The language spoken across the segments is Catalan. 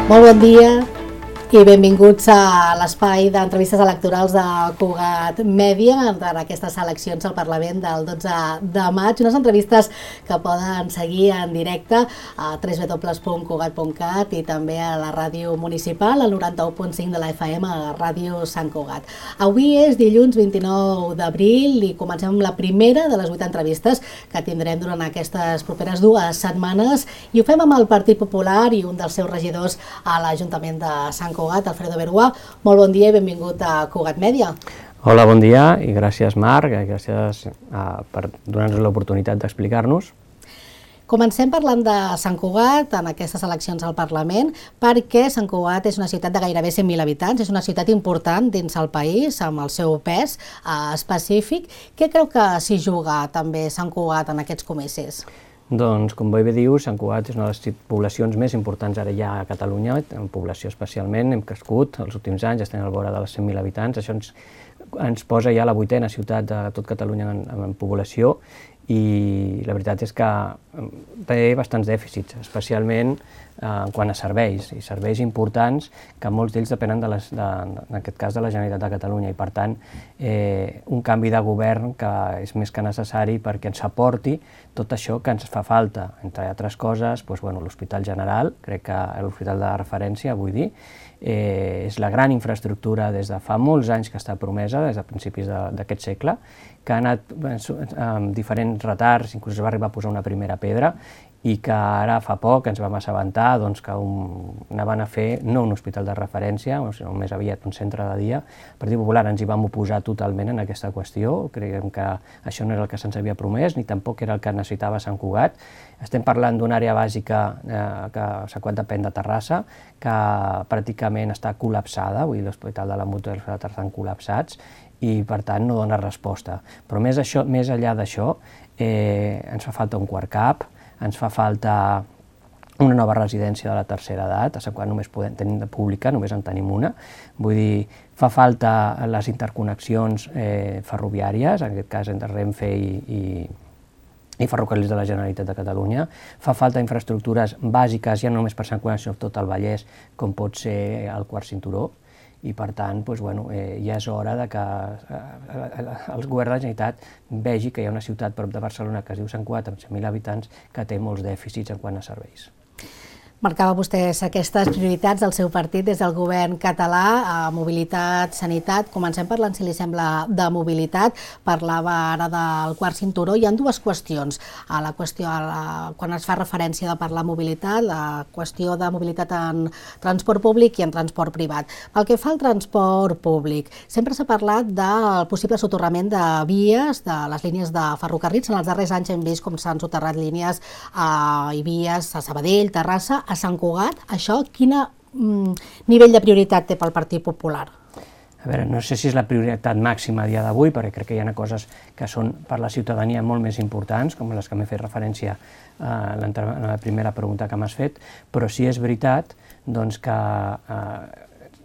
Molt bon dia i benvinguts a l'espai d'entrevistes electorals de Cugat Mèdia en aquestes eleccions al Parlament del 12 de maig. Unes entrevistes que poden seguir en directe a www.cugat.cat i també a la ràdio municipal, al 91.5 de la FM, a Ràdio Sant Cugat. Avui és dilluns 29 d'abril i comencem amb la primera de les 8 entrevistes que tindrem durant aquestes properes 2 setmanes i ho fem amb el Partit Popular i un dels seus regidors a l'Ajuntament de Sant Cugat, Alfredo Bergua. Molt bon dia i benvingut a Cugat Mèdia. Hola, bon dia i gràcies Marc, gràcies per donar-nos l'oportunitat d'explicar-nos. Comencem parlant de Sant Cugat en aquestes eleccions al Parlament perquè Sant Cugat és una ciutat de gairebé 100.000 habitants, és una ciutat important dins el país amb el seu pes específic. Què creu que s'hi juga també Sant Cugat en aquests comicis? Doncs, com bé dius, Sant Cugat és una de les poblacions més importants ara ja a Catalunya, en població especialment, hem crescut els últims anys, estem al vora de les 100.000 habitants, això ens posa ja la 8ª ciutat de tot Catalunya en població i la veritat és que té bastants dèficits, especialment en quant a serveis, i serveis importants que molts d'ells depenen, en aquest cas, de la Generalitat de Catalunya i, per tant, un canvi de govern que és més que necessari perquè ens aporti tot això que ens fa falta, entre altres coses, l'Hospital General, crec que l'hospital de referència, vull dir, és la gran infraestructura des de fa molts anys que està promesa, des de principis d'aquest segle, que ha anat amb diferents retards, inclús es va arribar a posar una primera pedra, i que ara fa poc ens vam assabentar que anaven a fer no un hospital de referència, sinó més aviat un centre de dia. El Partit Popular ens hi vam oposar totalment en aquesta qüestió, creiem que això no era el que se'ns havia promès, ni tampoc era el que necessitava Sant Cugat. Estem parlant d'una àrea bàsica que Sant Cugat depèn de Terrassa, que pràcticament està col·lapsada, vull dir, l'Hospital de la Mútua i l'Hospital de Terrassa estan col·lapsats, i per tant no dona resposta. Però més enllà d'això, ens fa falta un quart CAP, ens fa falta una nova residència de la tercera edat, a Sant Cugat només tenim pública, només en tenim una, vull dir, fa falta les interconnexions ferroviàries, en aquest cas entre Renfe i Ferrocarrils de la Generalitat de Catalunya, fa falta infraestructures bàsiques, ja no només per Sant Cugat, sinó tot el Vallès, com pot ser el quart cinturó, i per tant ja és hora que el govern de la Generalitat vegi que hi ha una ciutat prop de Barcelona que es diu Sant Cugat, amb 100.000 habitants, que té molts dèficits en quant a serveis. Marcava vostès aquestes prioritats del seu partit des del govern català, a mobilitat, sanitat. Comencem parlant, si li sembla, de mobilitat. Parlava ara del quart cinturó. Hi ha 2 qüestions. Quan es fa referència de parlar de mobilitat, la qüestió de mobilitat en transport públic i en transport privat. Pel que fa al transport públic, sempre s'ha parlat del possible soterrament de vies, de les línies de ferrocarrils. En els darrers anys hem vist com s'han soterrat línies i vies a Sabadell, Terrassa, a Sant Cugat. Això, quin nivell de prioritat té pel Partit Popular? A veure, no sé si és la prioritat màxima a dia d'avui, perquè crec que hi ha coses que són per la ciutadania molt més importants, com les que m'he fet referència en la primera pregunta que m'has fet, però sí és veritat que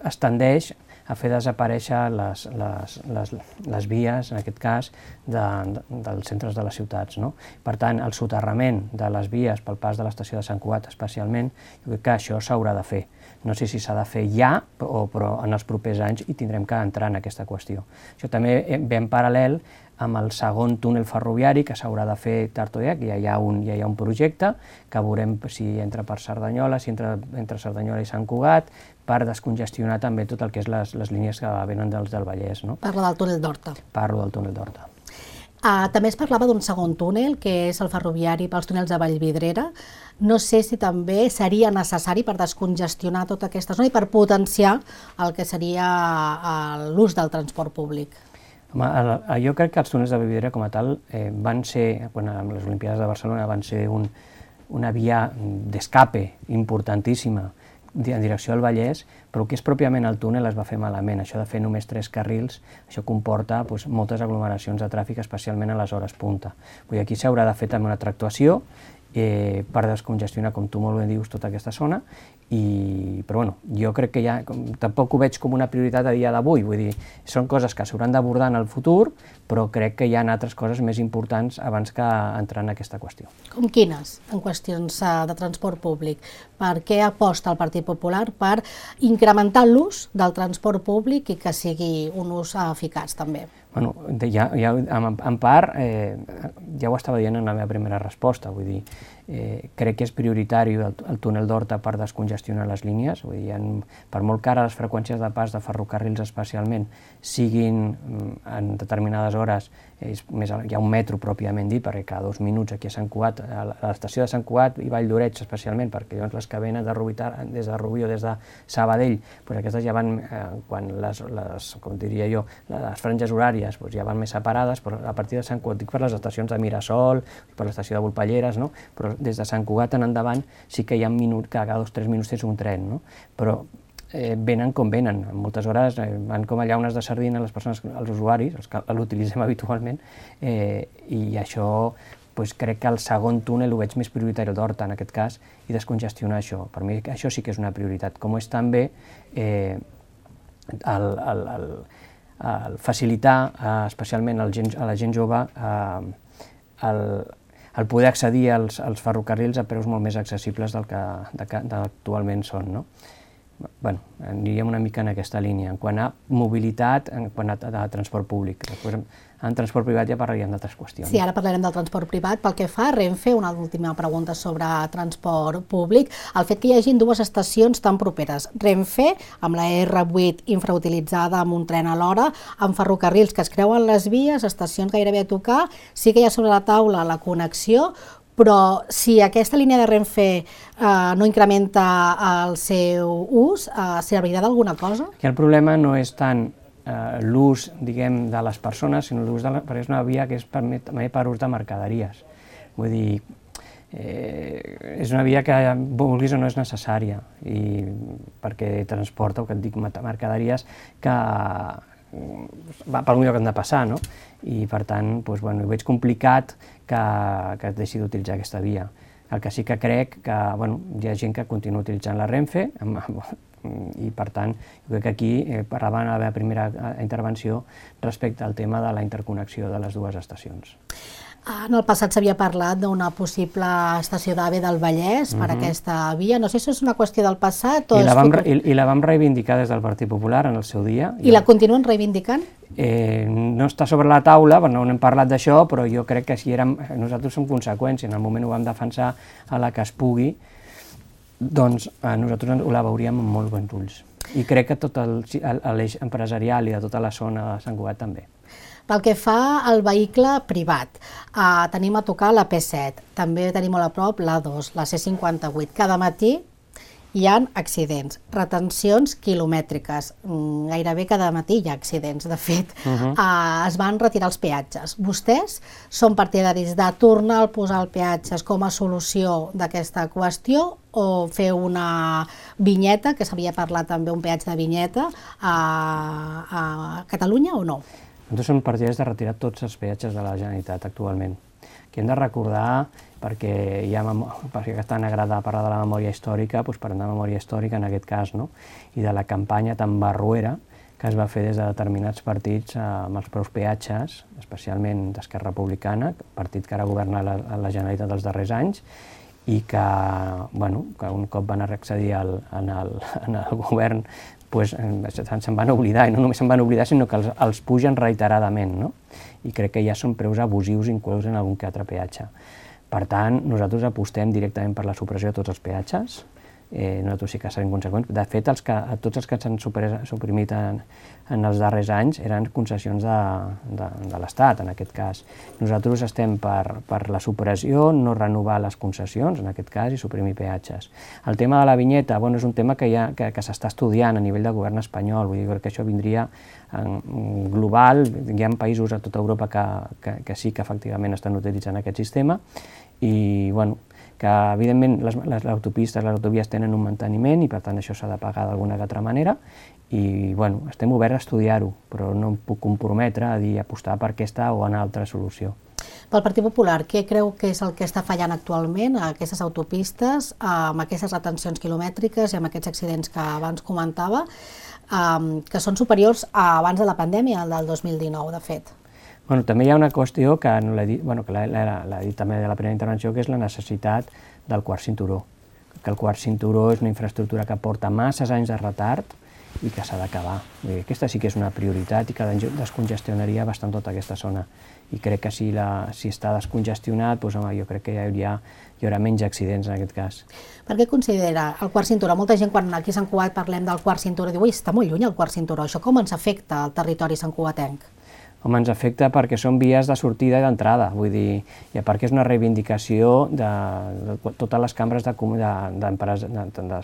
es tendeix a fer desaparèixer les vies, en aquest cas, dels centres de les ciutats. Per tant, el soterrament de les vies pel pas de l'estació de Sant Cugat especialment, jo crec que això s'haurà de fer. No sé si s'ha de fer ja, però en els propers anys hi tindrem que entrar en aquesta qüestió. Això també ve en paral·lel amb el segon túnel ferroviari que s'haurà de fer tard o d'hora, que ja hi ha un projecte, que veurem si entra per Cerdanyola, si entra entre Cerdanyola i Sant Cugat, per descongestionar també tot el que és les línies que venen del Vallès. Parla del túnel d'Horta. Parlo del túnel d'Horta. També es parlava d'un segon túnel, que és el ferroviari pels túnels de Vallvidrera. No sé si també seria necessari per descongestionar tota aquesta zona i per potenciar el que seria l'ús del transport públic. Jo crec que els túnels de Vallvidrera com a tal van ser, quan amb les Olimpíades de Barcelona, van ser una via d'escape importantíssima en direcció al Vallès, però el que és pròpiament el túnel es va fer malament. Això de fer només 3 carrils, això comporta moltes aglomeracions de tràfic, especialment a les hores punta. Aquí s'haurà de fer també una altra actuació per descongestionar, com tu molt bé dius, tota aquesta zona, però bueno, jo crec que ja tampoc ho veig com una prioritat a dia d'avui, vull dir, són coses que s'hauran d'abordar en el futur, però crec que hi ha altres coses més importants abans que entrar en aquesta qüestió. Com quines, en qüestions de transport públic? Per què aposta el Partit Popular per incrementar l'ús del transport públic i que sigui un ús eficaç també? Bueno, en part, ja ho estava dient en la meva primera resposta, vull dir, crec que és prioritari el túnel d'Horta per descongestionar les línies, vull dir, per molt que ara les freqüències de pas de ferrocarrils especialment siguin en determinades hores, hi ha un metro pròpiament dit, perquè cada 2 minuts aquí a Sant Cugat, a l'estació de Sant Cugat i Vall d'Oreig especialment, perquè llavors les que venen des de Rubí o des de Sabadell, aquestes ja van, quan com diria jo, les franges horàries ja van més separades, però a partir de Sant Cugat, dic per les estacions de Mirasol, per l'estació de Volpelleres, però des de Sant Cugat en endavant sí que hi ha un minut, cada 2 o 3 minuts tens un tren, però venen com venen, moltes hores van com a llaunes de sardina les persones, els usuaris, els que l'utilitzem habitualment, i això crec que el segon túnel ho veig més prioritari, el d'Horta en aquest cas, i descongestionar això. Per mi això sí que és una prioritat, com és també el facilitar, especialment a la gent jove, el poder accedir als ferrocarrils a preus molt més accessibles del que actualment són. Bueno, aniríem una mica en aquesta línia. En quant a mobilitat, en quant a transport públic. Després, en transport privat ja parlaríem d'altres qüestions. Sí, ara parlarem del transport privat. Pel que fa a Renfe, una última pregunta sobre transport públic. El fet que hi hagi 2 estacions tan properes, Renfe, amb la R8 infrautilitzada amb un tren a l'hora, amb ferrocarrils que es creuen les vies, estacions gairebé a tocar, sí que hi ha sobre la taula la connexió, però si aquesta línia de Renfe no incrementa el seu ús, servirà d'alguna cosa? Aquí el problema no és tant l'ús, diguem, de les persones, sinó l'ús perquè és una via que és també per ús de mercaderies. Vull dir, és una via que, vulguis o no, és necessària, perquè transporta, o que et dic, mercaderies que va pel lloc que han de passar, no? I per tant, ho veig complicat que es deixi d'utilitzar aquesta via. El que sí que crec que hi ha gent que continua utilitzant la Renfe i per tant, jo crec que aquí parlava en la meva primera intervenció respecte al tema de la interconnexió de les 2 estacions. En el passat s'havia parlat d'una possible estació d'AVE del Vallès per aquesta via. No sé si és una qüestió del passat o... I la vam reivindicar des del Partit Popular en el seu dia. I la continuen reivindicant? No està sobre la taula, no n'hem parlat d'això, però jo crec que nosaltres som conseqüència. En el moment ho vam defensar a la que es pugui, doncs nosaltres la veuríem amb molts bons ulls. I crec que tot l'eix empresarial i de tota la zona de Sant Cugat també. Pel que fa al vehicle privat, tenim a tocar la P7, també tenim molt a prop la 2, la C58. Cada matí hi ha accidents, retencions quilomètriques, gairebé cada matí hi ha accidents. De fet, es van retirar els peatges. Vostès són partidaris de tornar a posar els peatges com a solució d'aquesta qüestió o fer una vinyeta, que s'havia parlat també un peatge de vinyeta, a Catalunya o no? Nosaltres som partidaris de retirar tots els peatges de la Generalitat actualment. Que hem de recordar, perquè és tan agradable parlar de la memòria històrica, doncs parlem de memòria històrica en aquest cas, i de la campanya tan barroera que es va fer des de determinats partits amb els preus peatges, especialment d'Esquerra Republicana, partit que ara governa la Generalitat dels darrers anys, i que un cop van accedir en el govern se'n van oblidar, i no només se'n van oblidar, sinó que els pugen reiteradament, i crec que ja són preus abusius inclús en algun que altre peatge. Per tant, nosaltres apostem directament per la supressió de tots els peatges, nosaltres sí que serem conseqüents. De fet, tots els que s'han suprimit en els darrers anys eren concessions de l'Estat, en aquest cas. Nosaltres estem per la supressió, no renovar les concessions, en aquest cas, i suprimir peatges. El tema de la vinyeta és un tema que s'està estudiant a nivell del govern espanyol, vull dir que això vindria global, hi ha països a tota Europa que sí que efectivament estan utilitzant aquest sistema, i que evidentment les autopistes, les autovies tenen un manteniment i per tant això s'ha de pagar d'alguna altra manera i estem oberts a estudiar-ho, però no em puc comprometre a dir apostar per aquesta o una altra solució. Pel Partit Popular, què creu que és el que està fallant actualment a aquestes autopistes, amb aquestes retencions quilomètriques i amb aquests accidents que abans comentava, que són superiors a abans de la pandèmia, el del 2019, de fet? Bueno, també hi ha una qüestió que no l'he dit, bueno, que l'ha dit també de la primera intervenció, que és la necessitat del quart cinturó. Que el quart cinturó és una infraestructura que porta masses anys de retard i que s'ha d'acabar. Aquesta sí que és una prioritat i que descongestionaria bastant tota aquesta zona. I crec que si està descongestionat, doncs, home, jo crec que hi haurà menys accidents en aquest cas. Per què considera el quart cinturó? Molta gent, quan aquí a Sant Cugat parlem del quart cinturó, diu, ui, està molt lluny el quart cinturó. Això com ens afecta al territori santcugatenc? Home, ens afecta perquè són vies de sortida i d'entrada, vull dir, i a part que és una reivindicació de totes les cambres de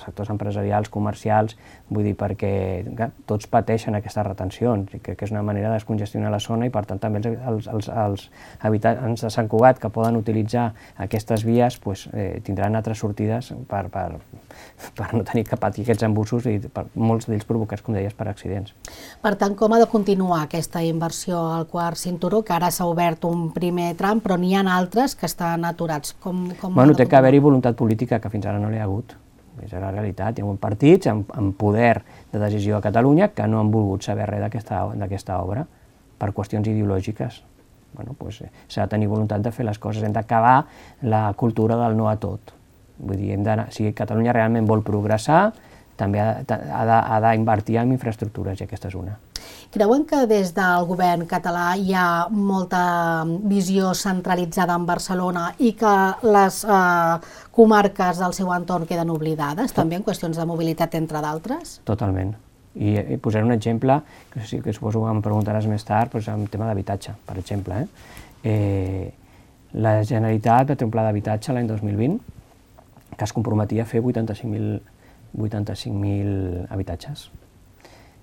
sectors empresarials, comercials, vull dir, perquè tots pateixen aquestes retencions, i crec que és una manera de descongestionar la zona i per tant també els habitants de Sant Cugat que poden utilitzar aquestes vies tindran altres sortides per no tenir que patir aquests embussos i molts d'ells provocats, com deies, per accidents. Per tant, com ha de continuar aquesta inversió al quart cinturó, que ara s'ha obert un primer tram, però n'hi ha altres que estan aturats? Bueno, té que haver-hi voluntat política, que fins ara no n'hi ha hagut. És la realitat. Hi ha partits amb poder de decisió a Catalunya que no han volgut saber res d'aquesta obra per qüestions ideològiques. Bueno, s'ha de tenir voluntat de fer les coses. Hem d'acabar la cultura del no a tot. Vull dir, si Catalunya realment vol progressar, també ha d'invertir en infraestructures, i aquesta és una. Creuen que des del govern català hi ha molta visió centralitzada en Barcelona i que les comarques del seu entorn queden oblidades, també en qüestions de mobilitat, entre d'altres? Totalment. I posaré un exemple, que suposo que em preguntaràs més tard, en tema d'habitatge, per exemple. La Generalitat va fer un pla d'habitatge l'any 2020 que es comprometia a fer 85.000 habitatges.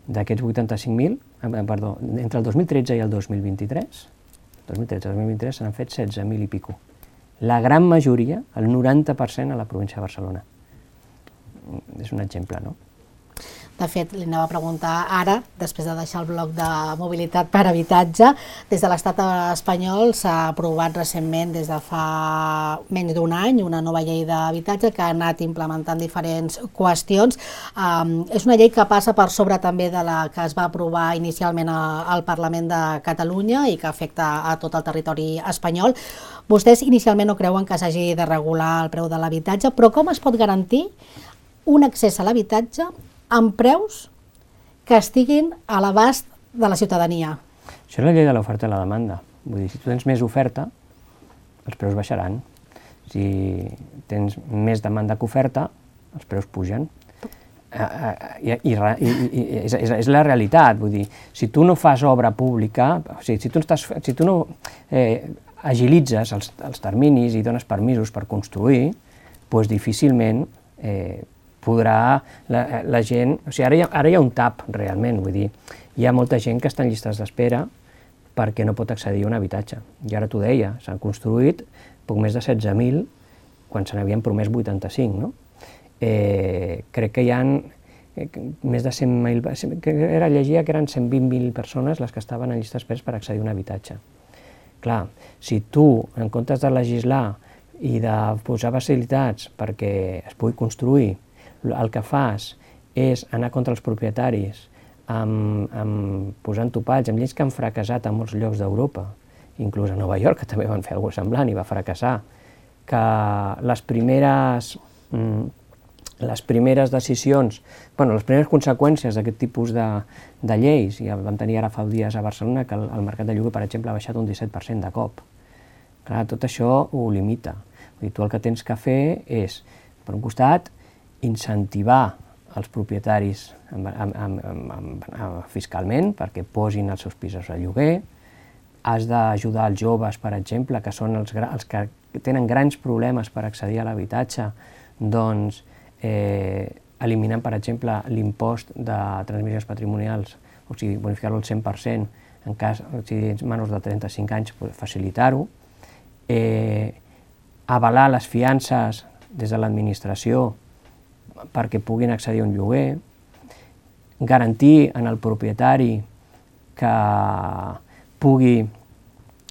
D'aquests 85.000, entre el 2013 i el 2023, se n'han fet 16.000 i pico. La gran majoria, el 90%, a la província de Barcelona. És un exemple, no? De fet, li anava a preguntar ara, després de deixar el bloc de mobilitat per habitatge, des de l'estat espanyol s'ha aprovat recentment, des de fa menys d'un any, una nova llei d'habitatge que ha anat implementant diferents qüestions. És una llei que passa per sobre també de la que es va aprovar inicialment al Parlament de Catalunya i que afecta a tot el territori espanyol. Vostès inicialment no creuen que s'hagi de regular el preu de l'habitatge, però com es pot garantir un accés a l'habitatge amb preus que estiguin a l'abast de la ciutadania? Això és la llei de l'oferta i la demanda. Vull dir, si tu tens més oferta, els preus baixaran. Si tens més demanda que oferta, els preus pugen. És la realitat. Vull dir, si tu no fas obra pública, si tu no agilitzes els terminis i dones permisos per construir, doncs difícilment podrà la gent... O sigui, ara hi ha un tap, realment, vull dir, hi ha molta gent que està en llistes d'espera perquè no pot accedir a un habitatge. I ara t'ho deia, s'han construït poc més de 16.000 quan se n'havien promès 85, no? Crec que hi ha més de 100.000... Llegia que eren 120.000 persones les que estaven en llistes d'espera per accedir a un habitatge. Clar, si tu, en comptes de legislar i de posar facilitats perquè es pugui construir, el que fas és anar contra els propietaris posant topalls amb lleis que han fracassat a molts llocs d'Europa, inclús a Nova York, que també van fer alguna cosa semblant i va fracassar, que les primeres decisions, les primeres conseqüències d'aquest tipus de lleis, i vam tenir ara fa dies a Barcelona que el mercat de lloguer, per exemple, ha baixat un 17% de cop. Clar, tot això ho limita. Vull dir, tu el que tens que fer és, per un costat, incentivar els propietaris fiscalment perquè posin els seus pisos a lloguer, has d'ajudar els joves, per exemple, que són els que tenen grans problemes per accedir a l'habitatge, doncs eliminant, per exemple, l'impost de transmissions patrimonials, o sigui, bonificar-lo al 100%, en cas, si tens menors de 35 anys, facilitar-ho, avalar les fiances des de l'administració perquè puguin accedir a un lloguer, garantir en el propietari que pugui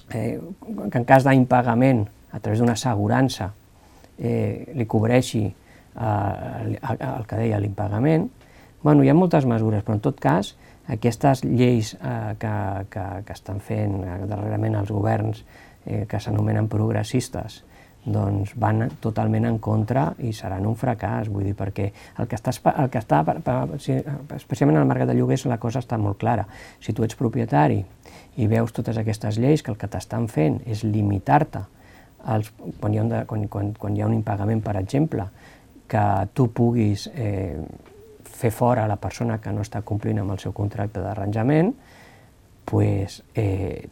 que en cas d'impagament, a través d'una assegurança, li cobreixi el que deia l'impagament. Bueno, hi ha moltes mesures, però en tot cas, aquestes lleis que estan fent darrerament els governs que s'anomenen progressistes, doncs van totalment en contra i seran un fracàs, vull dir, perquè especialment en el mercat de lloguers la cosa està molt clara. Si tu ets propietari i veus totes aquestes lleis que el que t'estan fent és limitar-te quan hi ha un impagament, per exemple, que tu puguis fer fora la persona que no està complint amb el seu contracte d'arranjament, doncs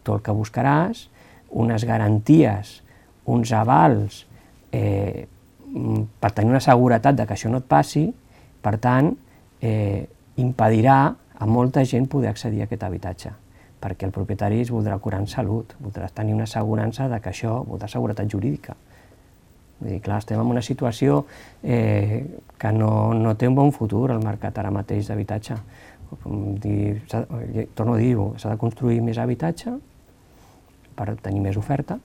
tu el que buscaràs, unes garanties, uns avals per tenir una seguretat de que això no et passi, per tant, impedirà a molta gent poder accedir a aquest habitatge, perquè el propietari es voldrà curar en salut, voldrà tenir una assegurança de que això, voldrà seguretat jurídica. Vull dir, clar, estem en una situació que no té un bon futur al mercat ara mateix d'habitatge. Torno a dir-ho, s'ha de construir més habitatge per tenir més oferta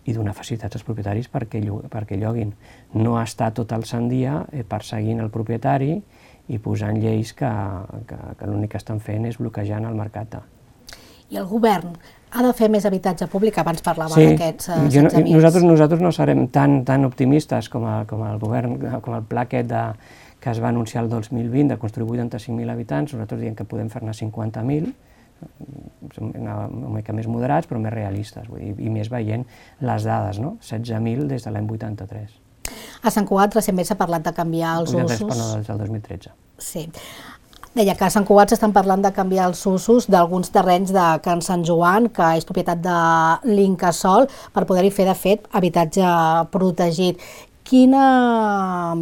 i donar facilitats als propietaris perquè lloguin. No estar tot el sant dia perseguint el propietari i posant lleis que l'únic que estan fent és bloquejant el mercat. I el govern ha de fer més habitatge públic? Abans parlava d'aquests 16.000. Nosaltres no serem tan optimistes com el govern, com el pla aquest que es va anunciar el 2020 de construir 85.000 habitants. Nosaltres diem que podem fer-ne 50.000, una mica més moderats però més realistes, i més veient les dades, no? 16.000 des de l'any 83. A Sant Cugat recentment s'ha parlat de canviar els usos. Des del 2013. Sí. Deia que a Sant Cugat s'estan parlant de canviar els usos d'alguns terrenys de Can Sant Joan, que és propietat de l'Incasòl, per poder-hi fer, de fet, habitatge protegit. Quina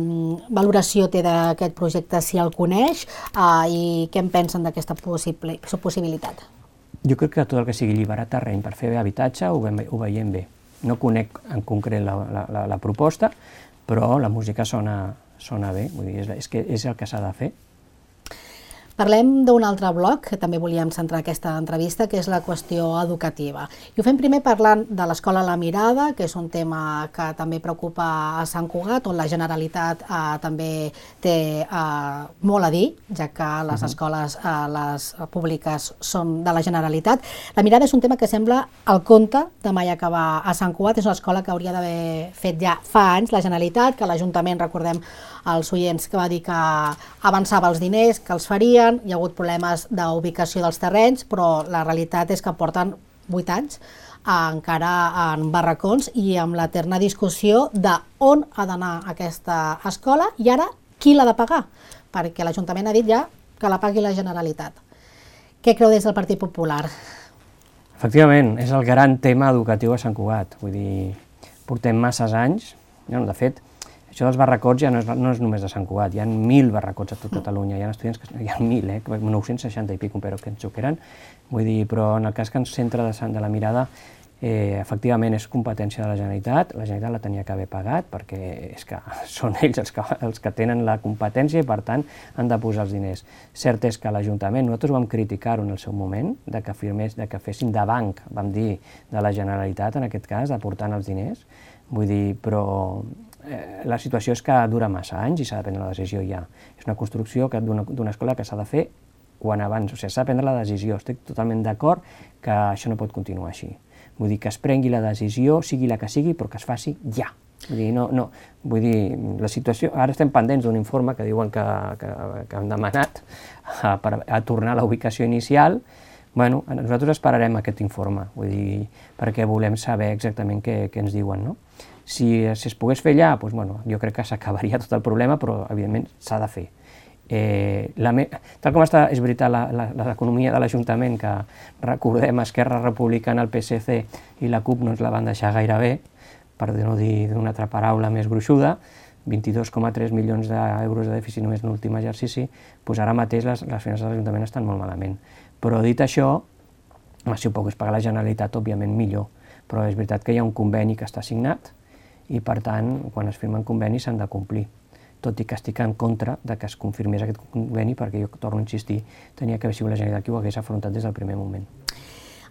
valoració té d'aquest projecte, si el coneix, i què en pensen d'aquesta possibilitat? Jo crec que tot el que sigui alliberar terreny per fer habitatge ho veiem bé. No conec en concret la proposta, però la música sona bé, vull dir, és el que s'ha de fer. Parlem d'un altre bloc, que també volíem centrar aquesta entrevista, que és la qüestió educativa. I ho fem primer parlant de l'Escola La Mirada, que és un tema que també preocupa a Sant Cugat, on la Generalitat també té molt a dir, ja que les escoles les públiques són de la Generalitat. La Mirada és un tema que sembla el conte de mai acabar a Sant Cugat. És una escola que hauria d'haver fet ja fa anys la Generalitat, que l'Ajuntament, recordem als oients, que va dir que avançava els diners, que els farien, hi ha hagut problemes d'ubicació dels terrenys, però la realitat és que porten 8 anys encara en barracons i amb l'eterna discussió d'on ha d'anar aquesta escola i ara qui l'ha de pagar, perquè l'Ajuntament ha dit ja que la pagui la Generalitat. Què creu des del Partit Popular? Efectivament, és el gran tema educatiu a Sant Cugat. Vull dir, portem masses anys, de fet, això dels barracots ja no és només de Sant Cugat, hi ha 1.000 barracots a tot Catalunya, hi ha estudiants que hi ha 1.000, 960 i pico, però que ens ho eren. Vull dir, però en el cas que ens centra de La Mirada, efectivament és competència de la Generalitat la tenia que haver pagat, perquè és que són ells els que tenen la competència i per tant han de posar els diners. Cert és que l'Ajuntament, nosaltres vam criticar-ho en el seu moment, de que fessin de banc, vam dir, de la Generalitat en aquest cas, d'aportant els diners, vull dir, però la situació és que dura massa anys i s'ha de prendre la decisió ja. És una construcció d'una escola que s'ha de fer quan abans, o sigui, s'ha de prendre la decisió. Estic totalment d'acord que això no pot continuar així. Vull dir, que es prengui la decisió, sigui la que sigui, però que es faci ja. Vull dir, vull dir, la situació... Ara estem pendents d'un informe que diuen que han demanat a tornar a la ubicació inicial. Bueno, nosaltres esperarem aquest informe, vull dir, perquè volem saber exactament què ens diuen, no? Si es pogués fer allà, doncs, bueno, jo crec que s'acabaria tot el problema, però evidentment s'ha de fer. Tal com està, és veritat, l'economia de l'Ajuntament, que recordem Esquerra Republicana, el PSC i la CUP no ens la van deixar gaire bé, per no dir d'una altra paraula més gruixuda, 22,3 milions d'euros de dèficit només en l'últim exercici, doncs ara mateix les finances de l'Ajuntament estan molt malament. Però dit això, si ho pogués pagar la Generalitat, òbviament millor, però és veritat que hi ha un conveni que està signat i per tant, quan es firmen convenis s'han de complir, tot i que estic en contra de que es confirmés aquest conveni perquè jo torno a insistir, tenia que haver sigut la Generalitat qui ho hagués afrontat des del primer moment.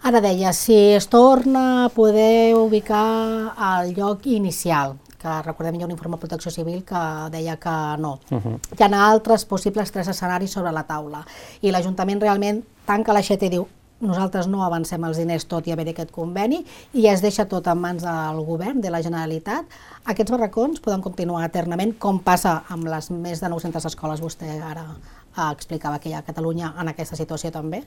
Ara deia, si es torna a poder ubicar al lloc inicial, que recordem hi ha un informe de Protecció Civil que deia que no. Hi ha altres possibles 3 escenaris sobre la taula i l'Ajuntament realment tanca l'aixeta i diu nosaltres no avancem els diners tot i haver aquest conveni i es deixa tot en mans del govern, de la Generalitat. Aquests barracons poden continuar eternament, com passa amb les més de 900 escoles, vostè ara explicava que hi ha a Catalunya en aquesta situació també?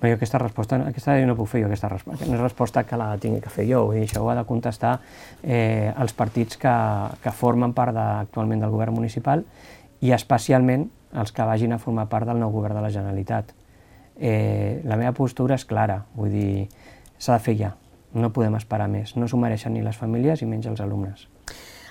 Jo aquesta resposta no puc fer jo, aquesta resposta. No és resposta que la tingui que fer jo, vull dir, això ho ha de contestar els partits que formen part actualment del govern municipal i especialment els que vagin a formar part del nou govern de la Generalitat. La meva postura és clara, vull dir, s'ha de fer ja, no podem esperar més, no s'ho mereixen ni les famílies i menys els alumnes.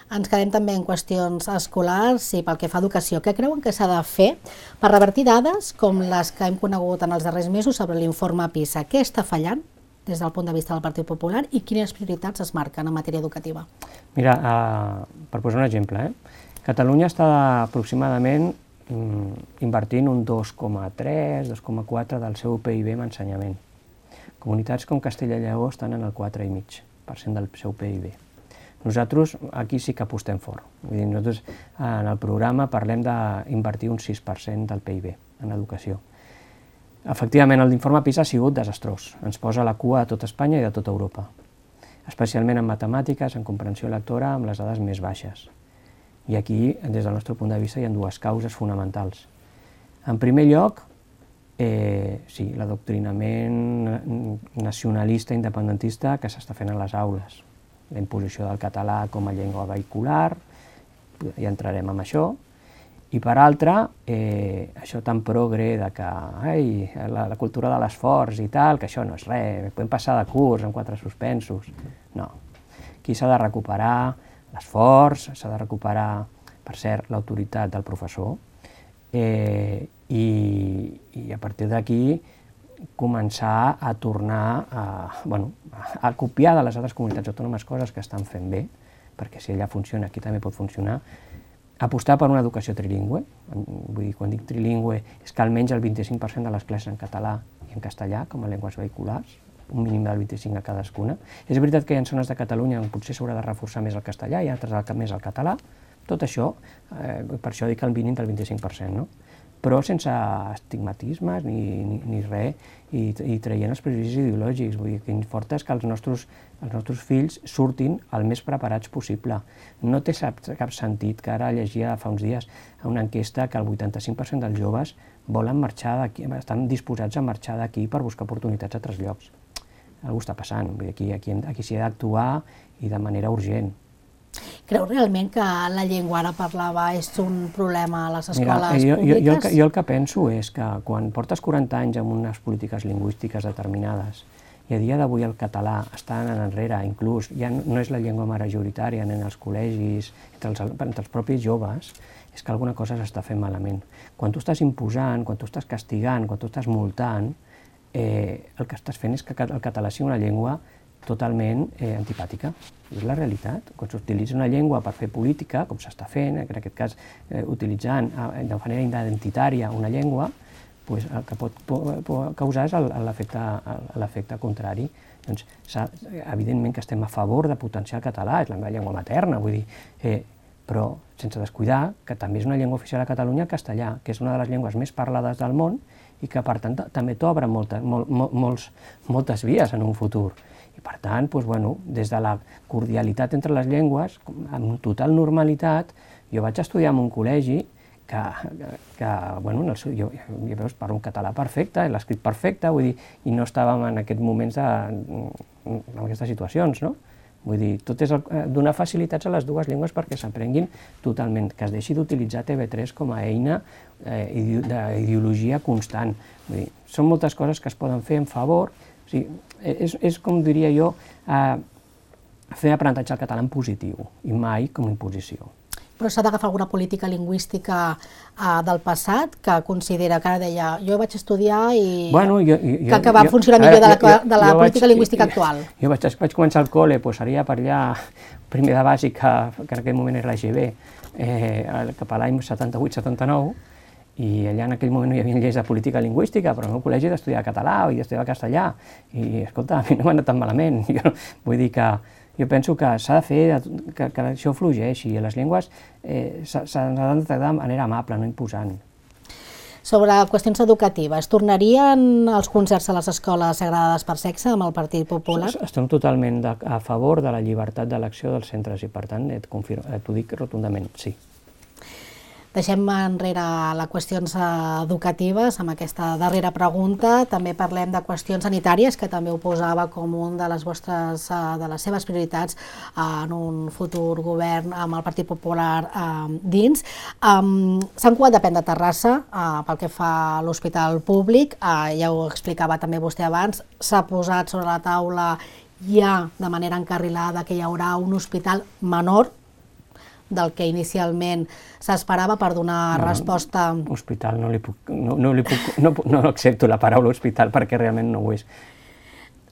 Ens quedem també en qüestions escolars i pel que fa a educació. Què creuen que s'ha de fer per revertir dades com les que hem conegut en els darrers mesos sobre l'informe PISA? Què està fallant des del punt de vista del Partit Popular i quines prioritats es marquen en matèria educativa? Mira, per posar un exemple, Catalunya està aproximadament invertint un 2,3, 2,4 del seu PIB en ensenyament. Comunitats com Castella i Lleó estan en el 4,5% del seu PIB. Nosaltres aquí sí que apostem fort. Vull dir, nosaltres en el programa parlem d'invertir un 6% del PIB en educació. Efectivament, l'informe PISA ha sigut desastrós. Ens posa a la cua de tot Espanya i de tota Europa, especialment en matemàtiques, en comprensió lectora, amb les dades més baixes. I aquí, des del nostre punt de vista, hi ha 2 causes fonamentals. En primer lloc, sí, l'adoctrinament nacionalista independentista que s'està fent a les aules. La imposició del català com a llengua vehicular, ja entrarem en això, i per altra, això tan progre de que la cultura de l'esforç i tal, que això no és res, podem passar de curs amb 4 suspensos. No, aquí s'ha de recuperar l'esforç, s'ha de recuperar, per cert, l'autoritat del professor, i a partir d'aquí començar a tornar a copiar de les altres comunitats autònomes coses que estan fent bé, perquè si allà funciona, aquí també pot funcionar, apostar per una educació trilingüe, vull dir, quan dic trilingüe és que almenys el 25% de les classes en català i en castellà com a llengües vehiculars, un mínim del 25% a cadascuna. És veritat que hi ha zones de Catalunya on potser s'haurà de reforçar més el castellà i altres més el català, tot això, per això dic el mínim del 25%, no? Però sense estigmatismes ni res, i traient els prejudicis ideològics. Vull dir, que importa és que els nostres fills surtin el més preparats possible. No té cap sentit que ara llegia fa uns dies una enquesta que el 85% dels joves volen marxar d'aquí, estan disposats a marxar d'aquí per buscar oportunitats a altres llocs. Algú està passant, vull dir, aquí s'hi ha d'actuar i de manera urgent. Creu realment que la llengua ara parlava és un problema a les escoles públiques? Jo el que penso és que quan portes 40 anys amb unes polítiques lingüístiques determinades i a dia d'avui el català està anant enrere, inclús ja no és la llengua majoritària en els col·legis, entre els propis joves, és que alguna cosa s'està fent malament. Quan tu estàs imposant, quan tu estàs castigant, quan tu estàs multant, el que estàs fent és que el català sigui una llengua totalment antipàtica. És la realitat. Quan s'utilitza una llengua per fer política, com s'està fent, en aquest cas utilitzant de manera identitària una llengua, el que pot causar és l'efecte contrari. Doncs, evidentment que estem a favor de potenciar el català, és la meva llengua materna, vull dir, però sense descuidar que també és una llengua oficial a Catalunya el castellà, que és una de les llengües més parlades del món i que, per tant, també t'obre moltes vies en un futur. I, per tant, des de la cordialitat entre les llengües, amb total normalitat, jo vaig estudiar en un col·legi que jo parlo un català perfecte, l'escrit perfecte, vull dir, i no estàvem en aquests moments en aquestes situacions, no? Vull dir, tot és donar facilitats a les dues llengües perquè s'aprenguin totalment, que es deixi d'utilitzar TV3 com a eina d'ideologia constant. Vull dir, són moltes coses que es poden fer en favor. O sigui, és com diria jo, fer aprenentatge al català en positiu i mai com a imposició. Però s'ha d'agafar alguna política lingüística del passat que considera, que ara deia, jo vaig estudiar i que va funcionar millor de la política lingüística actual. Jo vaig començar al col·le, seria per allà, primer de bàsic, que en aquell moment era l'EGB, cap a l'any 78-79, I allà en aquell moment no hi havia lleis de política lingüística, però al meu col·legi d'estudiar català i d'estudiar castellà. I, escolta, a mi no m'ha anat tan malament. Vull dir que jo penso que s'ha de fer que això fluixi, i les llengües s'han de tractar de manera amable, no imposant. Sobre qüestions educatives, tornarien els concerts a les escoles segregades per sexe amb el Partit Popular? Estem totalment a favor de la llibertat d'elecció dels centres i, per tant, t'ho dic rotundament, sí. Deixem enrere les qüestions educatives amb aquesta darrera pregunta. També parlem de qüestions sanitàries, que també ho posava com un de les seves prioritats en un futur govern amb el Partit Popular dins. Sant Cugat depèn de Terrassa pel que fa a l'hospital públic, ja ho explicava també vostè abans, s'ha posat sobre la taula ja de manera encarrilada que hi haurà un hospital menor del que inicialment s'esperava per donar resposta... Hospital, no accepto la paraula hospital perquè realment no ho és.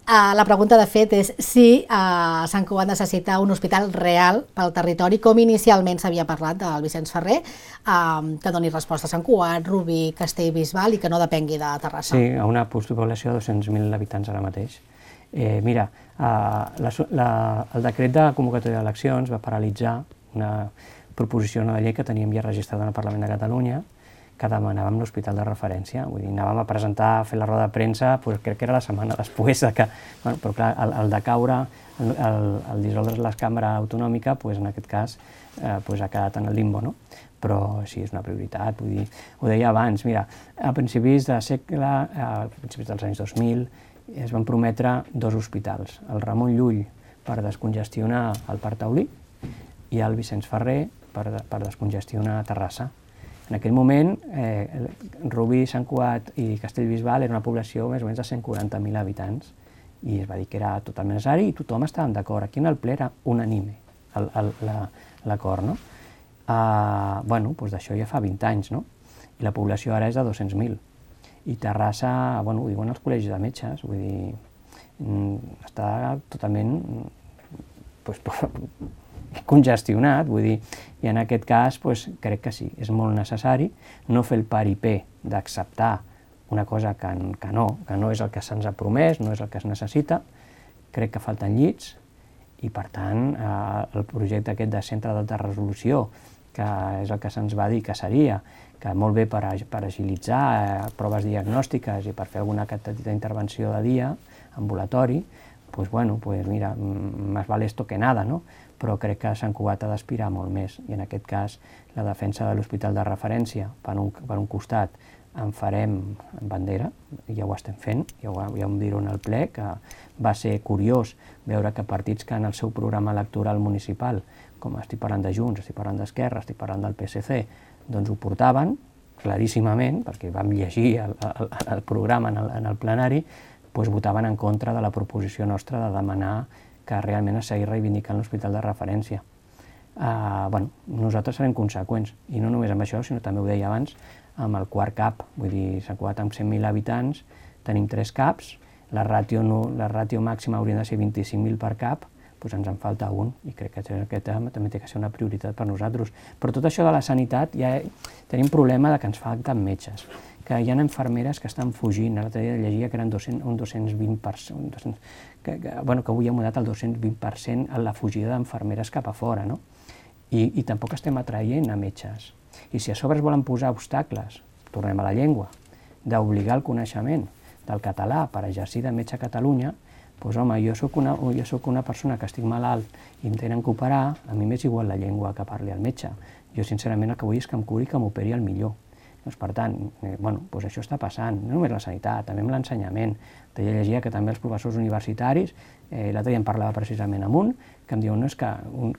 La pregunta, de fet, és si Sant Cugat necessita un hospital real pel territori, com inicialment s'havia parlat del Vicenç Ferrer, que doni resposta a Sant Cugat, Rubí, Castellbisbal i que no depengui de Terrassa. Sí, a una postpoblació de 200.000 habitants ara mateix. Mira, el decret de convocatòria d'eleccions va paralitzar una proposició de llei que teníem ja registrada en el Parlament de Catalunya, que demanàvem l'hospital de referència. Vull dir, anàvem a presentar, a fer la roda de premsa, crec que era la setmana després que... Però clar, el de caure, el dissoldre la cambra autonòmica, en aquest cas, ha quedat en el limbo, no? Però sí, és una prioritat, vull dir, ho deia abans, mira, a principis de segle, a principis dels anys 2000, es van prometre 2 hospitals, el Ramon Llull per descongestionar el Parc Taulí i el Vicenç Ferrer per descongestionar Terrassa. En aquell moment, Rubí, Sant Cugat i Castellbisbal era una població més o menys de 140.000 habitants i es va dir que era totalment necessari i tothom estava d'acord. Aquí en el ple era unànime l'acord, no? D'això ja fa 20 anys, no? I la població ara és de 200.000. I Terrassa, ho diuen els col·legis de metges, vull dir, està totalment congestionat, vull dir, i en aquest cas crec que sí, és molt necessari no fer el paripé d'acceptar una cosa que no és el que se'ns ha promès, no és el que es necessita. Crec que falten llits i, per tant, el projecte aquest de centre d'alta resolució, que és el que se'ns va dir que seria, que molt bé per agilitzar proves diagnòstiques i per fer alguna petita intervenció de dia, ambulatori, mira, más vale esto que nada, no? Però crec que Sant Cugat ha d'aspirar molt més i en aquest cas la defensa de l'hospital de referència per un costat en farem bandera, ja ho estem fent, ja ho diré en el ple, que va ser curiós veure que partits que en el seu programa electoral municipal, com estic parlant de Junts, estic parlant d'Esquerra, estic parlant del PSC, doncs ho portaven claríssimament, perquè vam llegir el programa en el plenari, votaven en contra de la proposició nostra de demanar que realment es seguís reivindicant l'hospital de referència. Nosaltres serem conseqüents, i no només amb això, sinó també ho deia abans, amb el quart CAP, vull dir, Sant Cugat amb 100.000 habitants, tenim 3 CAPs, la ràtio màxima hauria de ser 25.000 per CAP, doncs ens en falta un, i crec que aquest també té que ser una prioritat per nosaltres. Però tot això de la sanitat, ja tenim problema de que ens falten metges, que hi ha infermeres que estan fugint, l'altre dia llegia que eren un 220%, que avui ha mudat el 220% a la fugida d'infermeres cap a fora, no? I tampoc estem atraient a metges. I si a sobre es volen posar obstacles, tornem a la llengua, d'obligar el coneixement del català per exercir de metge a Catalunya, doncs home, jo soc una persona que estic malalt i em tenen que operar, a mi m'és igual la llengua que parli el metge. Jo sincerament el que vull és que em curi i que m'operi el millor. Doncs, per tant, això està passant, no només la sanitat, també amb l'ensenyament. Jo llegia que també els professors universitaris, l'altre dia em parlava precisament amb un, que em diu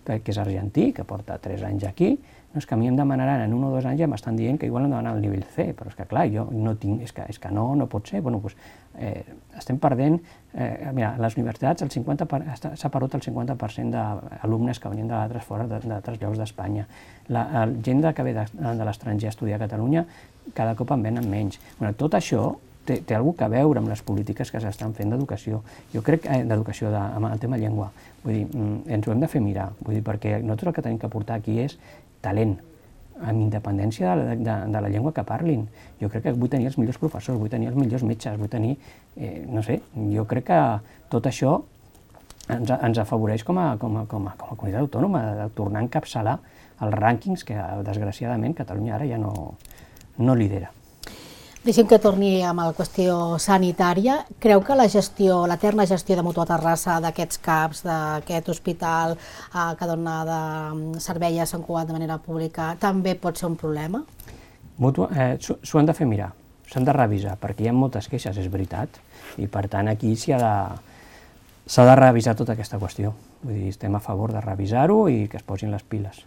que és argentí, que porta 3 anys aquí, és que a mi em demanaran en 1 o 2 anys ja m'estan dient que igual em demanen el nivell C, però és que clar, jo no tinc, és que no pot ser. Estem perdent, mira, a les universitats s'ha perdut el 50% d'alumnes que venien d'altres fora, d'altres llocs d'Espanya. La gent que ve de l'estranger a estudiar a Catalunya cada cop en venen menys. Tot això té alguna cosa a veure amb les polítiques que s'estan fent d'educació. Jo crec que d'educació amb el tema llengua, vull dir, ens ho hem de fer mirar, vull dir, perquè nosaltres el que tenim que portar aquí és talent. amb independència de la llengua que parlin. Jo crec que vull tenir els millors professors, vull tenir els millors metges, vull tenir, no sé, jo crec que tot això ens afavoreix com a comunitat autònoma de tornar a encapçalar els rànquings que, desgraciadament, Catalunya ara ja no lidera. Deixem que torni amb la qüestió sanitària. Creu que l'eterna gestió de Mútua Terrassa d'aquests CAPs, d'aquest hospital que dona de servei a Sant Cugat de manera pública, també pot ser un problema? S'ho han de fer mirar, s'han de revisar, perquè hi ha moltes queixes, és veritat, i per tant aquí s'ha de revisar tota aquesta qüestió. Vull dir, estem a favor de revisar-ho i que es posin les piles.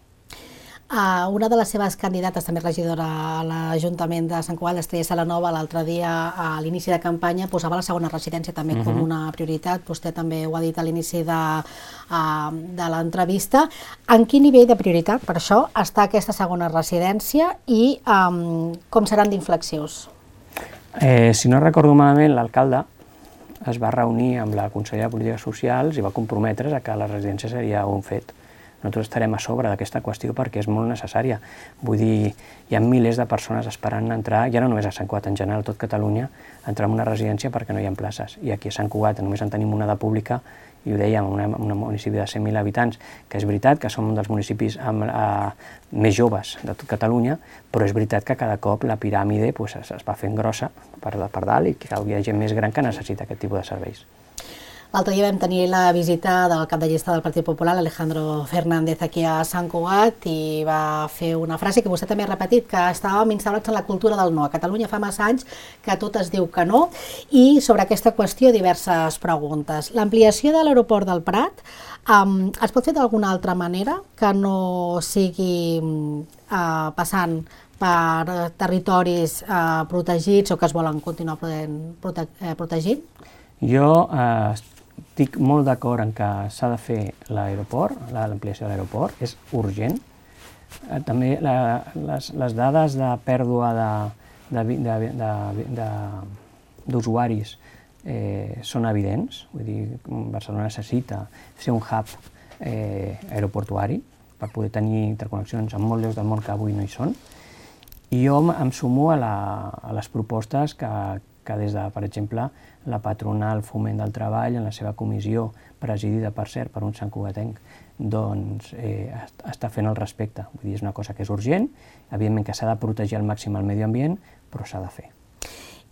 Una de les seves candidates, també regidora a l'Ajuntament de Sant Cugat, l'Estrella Salanova, l'altre dia a l'inici de campanya posava la segona residència també com una prioritat. Vostè també ho ha dit a l'inici de l'entrevista. En quin nivell de prioritat, per això, està aquesta segona residència i com seran d'inflexius? Si no recordo malament, l'alcalde es va reunir amb la consellera de Polítiques Socials i va comprometre's a que la residència seria un fet. Nosaltres estarem a sobre d'aquesta qüestió perquè és molt necessària. Vull dir, hi ha milers de persones esperant entrar, ja no només a Sant Cugat, en general, a tot Catalunya, entrar en una residència perquè no hi ha places. I aquí a Sant Cugat només en tenim una de pública, i ho dèiem, un municipi de 100.000 habitants, que és veritat que som un dels municipis més joves de tot Catalunya, però és veritat que cada cop la piràmide es va fent grossa per dalt i que hi ha gent més gran que necessita aquest tipus de serveis. L'altre dia vam tenir la visita del cap de llista del Partit Popular, Alejandro Fernández, aquí a Sant Cugat, i va fer una frase que vostè també ha repetit, que estàvem instal·lats en la cultura del no. A Catalunya fa massa anys que tot es diu que no, i sobre aquesta qüestió diverses preguntes. L'ampliació de l'aeroport del Prat es pot fer d'alguna altra manera que no sigui passant per territoris protegits o que es volen continuar protegint? Jo estic molt d'acord en que s'ha de fer l'aeroport, l'ampliació de l'aeroport, és urgent. També les dades de pèrdua d'usuaris són evidents. Vull dir, Barcelona necessita ser un hub aeroportuari per poder tenir interconnexions amb molts llocs del món que avui no hi són. I jo em sumo a les propostes que des de, per exemple, la patronal Foment del Treball, en la seva comissió, presidida, per cert, per un santcugatenc, doncs està fent al respecte. Vull dir, és una cosa que és urgent, evidentment que s'ha de protegir al màxim el medi ambient, però s'ha de fer.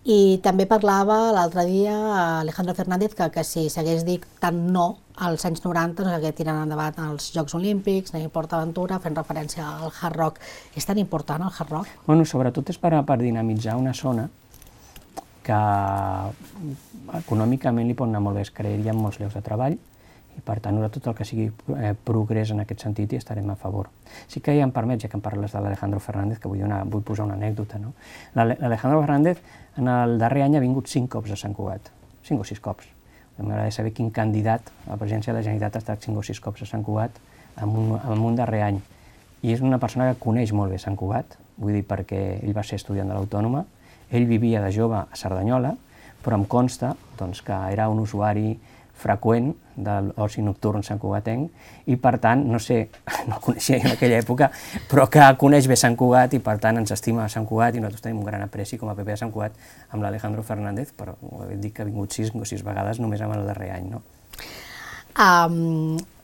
I també parlava l'altre dia Alejandro Fernández que si s'hagués dit tant no als anys 90 no s'hagués tirat endavant els Jocs Olímpics, ni PortAventura, fent referència al Hard Rock. És tan important el Hard Rock? Bueno, sobretot és per dinamitzar una zona que econòmicament li pot anar molt bé, es crearien molts llocs de treball i per tant tot el que sigui progrés en aquest sentit hi estarem a favor. Sí que ja em permet, ja que em parles de l'Alejandro Fernández, que vull posar una anècdota. L'Alejandro Fernández en el darrer any ha vingut 5 cops a Sant Cugat, 5 o 6 cops. M'agradaria saber quin candidat a la presidència de la Generalitat ha estat 5 o 6 cops a Sant Cugat en un darrer any. I és una persona que coneix molt bé Sant Cugat, vull dir perquè ell va ser estudiant de l'Autònoma, ell vivia de jove a Cerdanyola, però em consta que era un usuari freqüent de l'oci nocturn santcugatenc i per tant, no sé, no el coneixia jo en aquella època, però que coneix bé Sant Cugat i per tant ens estima a Sant Cugat i nosaltres tenim un gran apreci com a PP de Sant Cugat amb l'Alejandro Fernández, però dic que ha vingut 6 o 6 vegades només en el darrer any, no?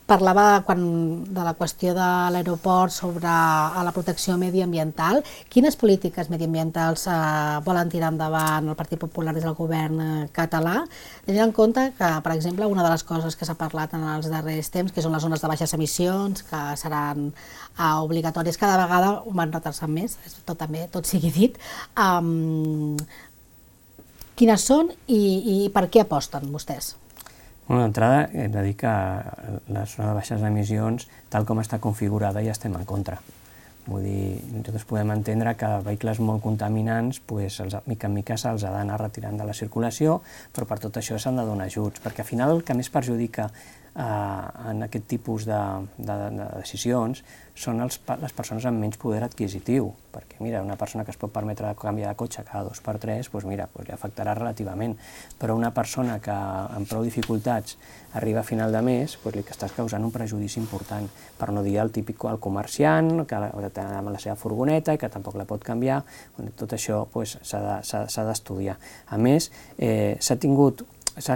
Parlava de la qüestió de l'aeroport sobre la protecció mediambiental. Quines polítiques mediambientals volen tirar endavant el Partit Popular des del govern català? Tenint en compte que, per exemple, una de les coses que s'ha parlat en els darrers temps, que són les zones de baixes emissions, que seran obligatòries, cada vegada ho van retarçant més, tot sigui dit. Quines són i per què aposten vostès? D'entrada, hem de dir que la zona de baixes emissions, tal com està configurada, ja estem en contra. Vull dir, nosaltres podem entendre que vehicles molt contaminants, mica en mica se'ls ha d'anar retirant de la circulació, però per tot això s'han de donar ajuts, perquè al final el que més perjudica en aquest tipus de decisions són les persones amb menys poder adquisitiu, perquè mira, una persona que es pot permetre canviar de cotxe cada 2 per 3, doncs mira, li afectarà relativament, però una persona que amb prou dificultats arriba a final de mes, doncs li estàs causant un prejudici important, per no dir el típic el comerciant, que té amb la seva furgoneta i que tampoc la pot canviar, tot això s'ha d'estudiar. A més, s'ha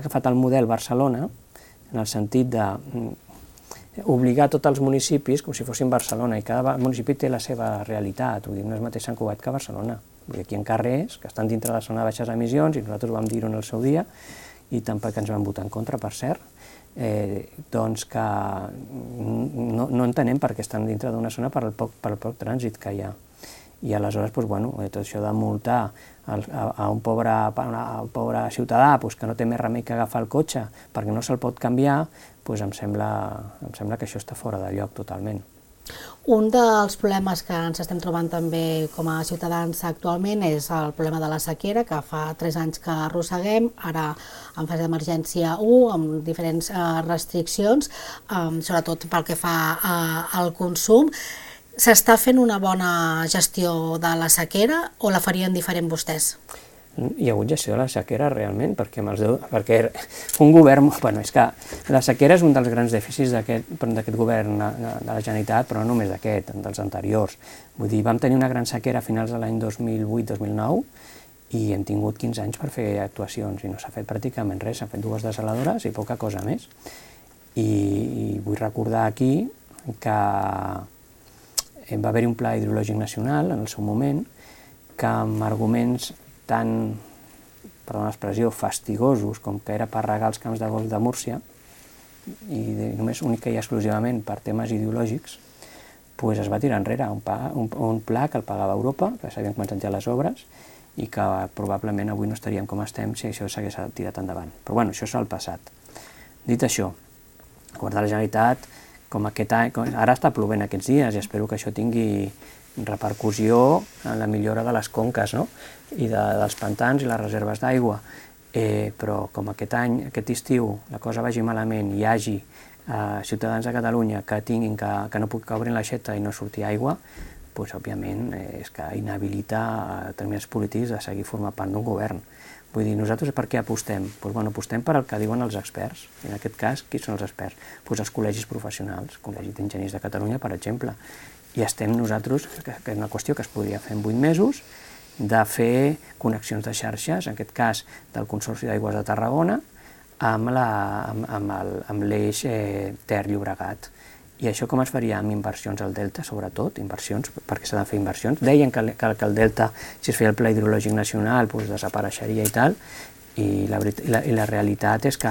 agafat el model Barcelona, en el sentit d'obligar tots els municipis com si fossin Barcelona, i cada municipi té la seva realitat, vull dir, no és mateix Sant Cugat que Barcelona. Vull dir, aquí hi ha carrers que estan dintre de la zona de baixes emissions, i nosaltres vam dir-ho en el seu dia, i tampoc ens van votar en contra, per cert, doncs que no entenem per què estan dintre d'una zona per el poc trànsit que hi ha. I aleshores, tot això de multar a un pobre ciutadà que no té més remei que agafar el cotxe perquè no se'l pot canviar, em sembla que això està fora de lloc totalment. Un dels problemes que ens estem trobant també com a ciutadans actualment és el problema de la sequera, que fa 3 anys que arrosseguem, ara en fase d'emergència 1, amb diferents restriccions, sobretot pel que fa al consum. S'està fent una bona gestió de la sequera o la farien diferent vostès? Hi ha hagut gestió de la sequera realment, perquè un govern... És que la sequera és un dels grans dèficits d'aquest govern de la Generalitat, però no només d'aquest, dels anteriors. Vull dir, vam tenir una gran sequera a finals de l'any 2008-2009 i hem tingut 15 anys per fer actuacions i no s'ha fet pràcticament res, s'han fet 2 desaladores i poca cosa més. I vull recordar aquí que va haver-hi un pla hidrològic nacional en el seu moment que amb arguments tan, perdó l'expressió, fastigosos com que era per regar els camps de golf de Múrcia i només única i exclusivament per temes ideològics, es va tirar enrere un pla que el pagava Europa, que s'havien començat ja les obres i que probablement avui no estaríem com estem si això s'hagués tirat endavant. Però bueno, això és el passat. Dit això, el govern de la Generalitat, com aquest any, ara està plovent aquests dies i espero que això tingui repercussió en la millora de les conques i dels pantans i les reserves d'aigua, però com aquest any, aquest estiu, la cosa vagi malament i hi hagi ciutadans de Catalunya que no puguin obrir l'aixeta i no surti aigua, òbviament és que inhabilita determinats polítics de seguir formant part d'un govern. Vull dir, nosaltres per què apostem? Apostem per el que diuen els experts. En aquest cas, qui són els experts? Els col·legis professionals, el Col·legi d'Enginyers de Catalunya, per exemple. I estem nosaltres, que és una qüestió que es podria fer en 8 mesos, de fer connexions de xarxes, en aquest cas del Consorci d'Aigües de Tarragona, amb l'eix Ter-Llobregat. I això com es faria? Amb inversions al Delta, sobretot, inversions, perquè s'ha de fer inversions. Deien que el Delta, si es feia el Pla Hidrològic Nacional, desapareixeria i tal, i la realitat és que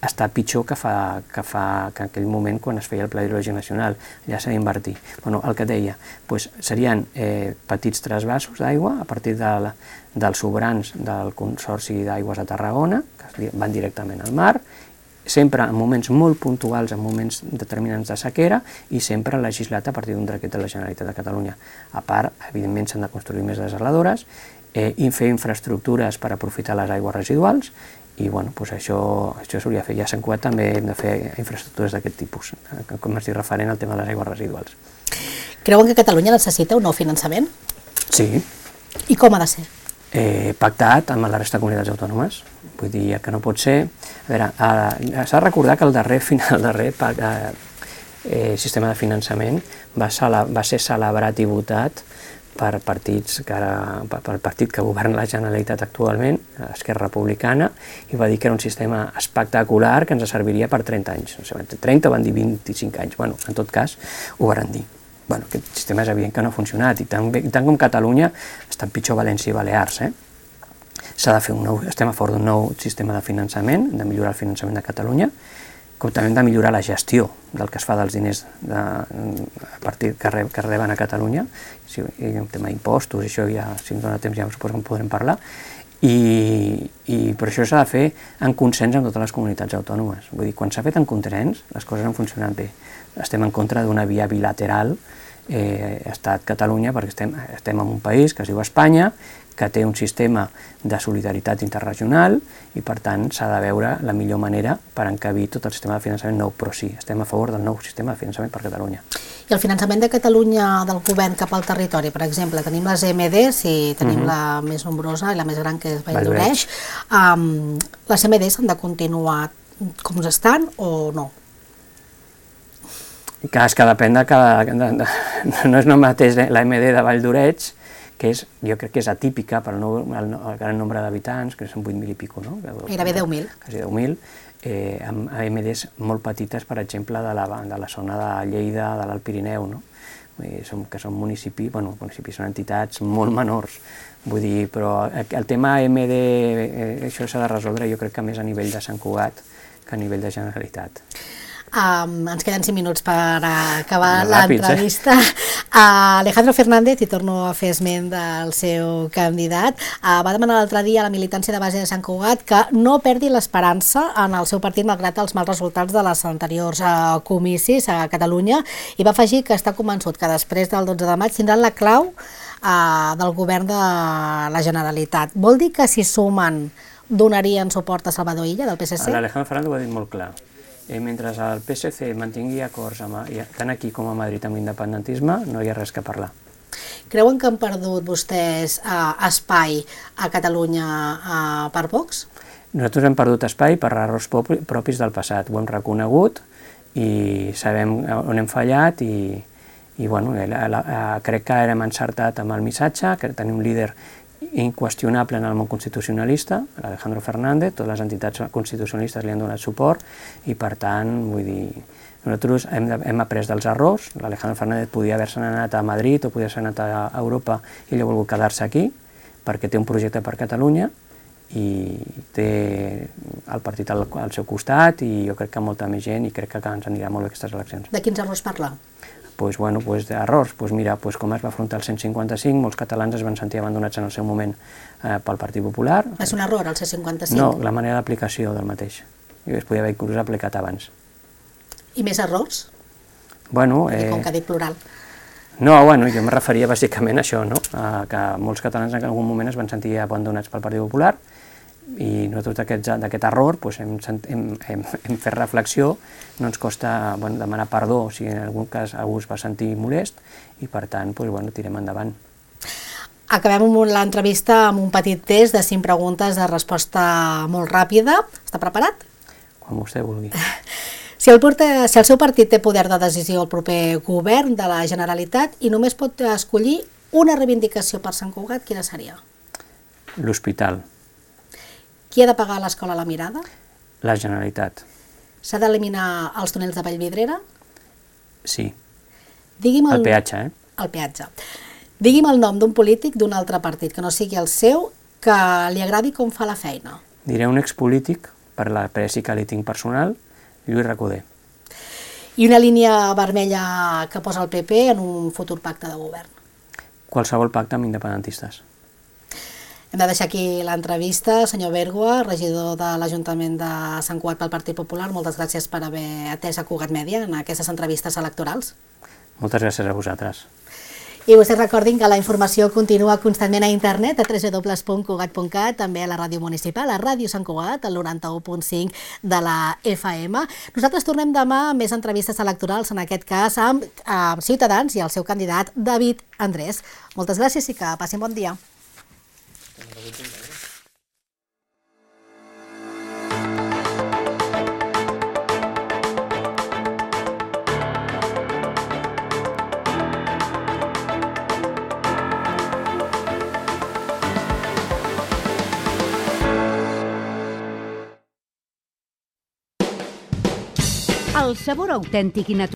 està pitjor que en aquell moment quan es feia el Pla Hidrològic Nacional, allà s'ha d'invertir. El que deia, serien petits trasvassos d'aigua a partir dels sobrants del Consorci d'Aigües de Tarragona, que van directament al mar, sempre en moments molt puntuals, en moments determinants de sequera, i sempre legislat a partir d'un decret de la Generalitat de Catalunya. A part, evidentment, s'han de construir més desaladores i fer infraestructures per aprofitar les aigües residuals, i això s'hauria de fer. Ja a Sant Cugat també hem de fer infraestructures d'aquest tipus, com estic referent al tema de les aigües residuals. Creuen que Catalunya necessita un nou finançament? Sí. I com ha de ser? Pactat amb la resta de comunitats autònomes. Vull dir, que no pot ser... A veure, s'ha de recordar que el darrer sistema de finançament va ser celebrat i votat per partits pel partit que governa la Generalitat actualment, Esquerra Republicana, i va dir que era un sistema espectacular que ens serviria per 30 anys. No sé, 30 o van dir 25 anys. En tot cas, ho van dir. Aquest sistema és evident que no ha funcionat, i tant com Catalunya estan pitjor València i Balears. Estem a favor d'un nou sistema de finançament, de millorar el finançament de Catalunya, com també hem de millorar la gestió del que es fa dels diners que reben a Catalunya, el tema d'impostos, això ja, si ens dona temps ja suposo que en podrem parlar, i per això s'ha de fer en consens amb totes les comunitats autònomes. Vull dir, quan s'ha fet en consens, les coses han funcionat bé. Estem en contra d'una via bilateral Estat-Catalunya, perquè estem en un país que es diu Espanya, que té un sistema de solidaritat interregional i, per tant, s'ha de veure la millor manera per encabir tot el sistema de finançament nou, però sí, estem a favor del nou sistema de finançament per Catalunya. I el finançament de Catalunya del govern cap al territori, per exemple, tenim les EMDs i tenim la més nombrosa i la més gran, que és Valldoreix. Les EMDs han de continuar com estan o no? És que depèn de cada... No és el mateix la EMD de Valldoreix, que jo crec que és atípica per el gran nombre d'habitants, que són 8.000 i pico, no? Gairebé 10.000. Quasi 10.000, amb AMDs molt petites, per exemple, de la zona de Lleida, de l'Alt Pirineu, no? Que són municipis, són entitats molt menors. Vull dir, però el tema AMD, això s'ha de resoldre, jo crec que més a nivell de Sant Cugat que a nivell de Generalitat. Ens queden 5 minuts per acabar l'entrevista. Alejandro Fernández, i torno a fer esment del seu candidat, va demanar l'altre dia a la militància de base de Sant Cugat que no perdi l'esperança en el seu partit malgrat els mals resultats de les anteriors comicis a Catalunya, i va afegir que està convençut que després del 12 de maig tindran la clau del govern de la Generalitat. Vol dir que si sumen donarien suport a Salvador Illa del PSC? L'Alejandro Fernández ho ha dit molt clar. Mentre el PSC mantingui acords tant aquí com a Madrid amb l'independentisme, no hi ha res que parlar. Creuen que han perdut vostès espai a Catalunya per Vox? Nosaltres hem perdut espai per errors propis del passat. Ho hem reconegut i sabem on hem fallat i crec que hem encertat amb el missatge, que tenim un líder inqüestionable en el món constitucionalista, l'Alejandro Fernández, totes les entitats constitucionalistes li han donat suport i, per tant, vull dir, nosaltres hem après dels errors. L'Alejandro Fernández podia haver-se anat a Madrid o podia haver anat a Europa i ell ha volgut quedar-se aquí perquè té un projecte per Catalunya i té el partit al seu costat i jo crec que molta més gent i crec que ens anirà molt bé aquestes eleccions. De quins errors parla? D'errors. Mira, com es va afrontar el 155, molts catalans es van sentir abandonats en el seu moment pel Partit Popular. És un error, el C55? No, la manera d'aplicació del mateix. Es podia haver inclús aplicat abans. I més errors? Com que ha dit plural. No, jo em referia bàsicament a això, no? Que molts catalans en algun moment es van sentir abandonats pel Partit Popular i nosaltres d'aquest error hem fet reflexió, no ens costa demanar perdó si en algun cas algú es va sentir molest i, per tant, tirem endavant. Acabem l'entrevista amb un petit test de 5 preguntes de resposta molt ràpida. Està preparat? Quan vostè vulgui. Si el seu partit té poder de decisió al proper govern de la Generalitat i només pot escollir una reivindicació per Sant Cugat, quina seria? L'hospital. Qui ha de pagar l'escola La Mirada? La Generalitat. S'ha d'eliminar els túnels de Vallvidrera? Sí. El peatge, El peatge. Digui'm el nom d'un polític d'un altre partit, que no sigui el seu, que li agradi com fa la feina. Diré un expolític, per l'apreci que li tinc personal, Lluís Recoder. I una línia vermella que posa el PP en un futur pacte de govern? Qualsevol pacte amb independentistes. Hem de deixar aquí l'entrevista. Senyor Bèrgoa, regidor de l'Ajuntament de Sant Cugat pel Partit Popular, moltes gràcies per haver atès a Cugat Mèdia en aquestes entrevistes electorals. Moltes gràcies a vosaltres. I vostès recordin que la informació continua constantment a internet, a www.cugat.cat, també a la ràdio municipal, a Ràdio Sant Cugat, al 91.5 de la FM. Nosaltres tornem demà amb més entrevistes electorals, en aquest cas amb Ciutadans i el seu candidat David Andrés. Moltes gràcies i que passin bon dia. El sabor autèntic i natural